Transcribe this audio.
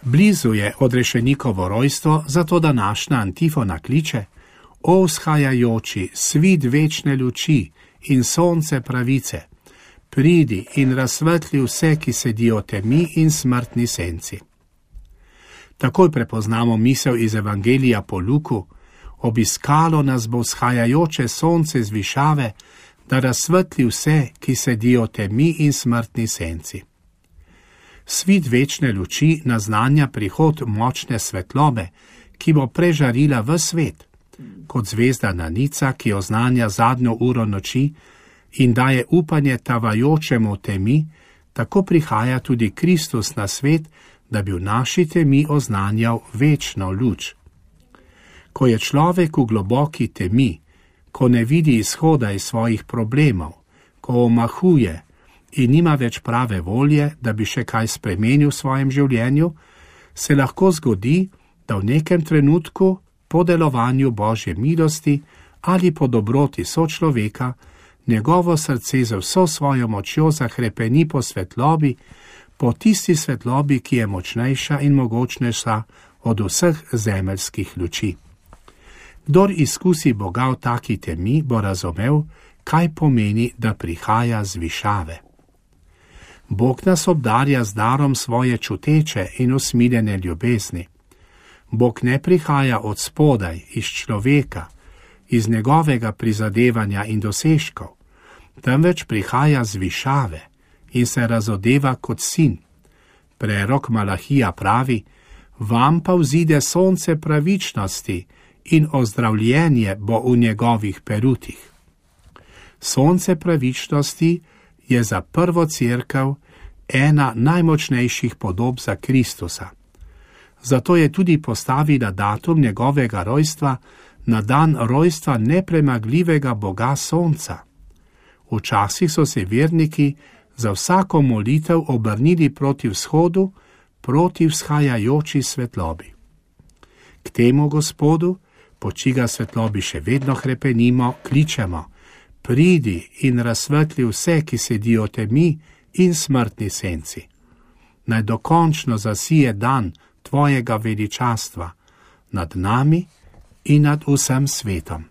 Blizu je odrešenikovo rojstvo, zato današnja antifona kliče: O vzhajajoči, svit večne luči in sonce pravice, pridi in razsvetli vse, ki sedijo v temi in smrtni senci. Takoj prepoznamo misel iz Evangelija po Luku: obiskalo nas bo vzhajajoče sonce z višave, da razsvetli vse, ki sedijo v temi in smrtni senci. Svit večne luči naznanja prihod močne svetlobe, ki bo prežarila ves svet, kot zvezda Nanica, ki oznanja zadnjo uro noči in daje upanje tavajočemu v temi, tako prihaja tudi Kristus na svet, da bi v naši temi oznanjal večno luč. Ko je človek v globoki temi, ko ne vidi izhoda iz svojih problemov, ko omahuje in nima več prave volje, da bi še kaj spremenil v svojem življenju, se lahko zgodi, da v nekem trenutku po delovanju Božje milosti ali po dobroti sočloveka njegovo srce z vso svojo močjo zahrepeni po svetlobi, po tisti svetlobi, ki je močnejša in mogočnejša od vseh zemeljskih luči. Kdor izkusi Boga v taki temi, bo razumel, kaj pomeni, da prihaja z višave. Bog nas obdarja z darom svoje čuteče in usmiljene ljubezni. Bog ne prihaja od spodaj, iz človeka, iz njegovega prizadevanja in dosežkov, temveč prihaja z višave in se razodeva kot sin. Prerok Malahija pravi: vam pa vzide sonce pravičnosti in ozdravljenje bo v njegovih perutih. Sonce pravičnosti je za prvo cerkev ena najmočnejših podob za Kristusa. Zato je tudi postavila datum njegovega rojstva na dan rojstva nepremagljivega Boga Sonca. Včasih so se verniki za vsako molitev obrnili proti vzhodu, proti vzhajajoči svetlobi. K temu Gospodu, po čiga svetlobi še vedno hrepenimo, kličemo: pridi in razsvetli vse, ki sedijo v temi in smrtni senci. Naj dokončno zasije dan tvojega veličastva nad nami in nad vsem svetom.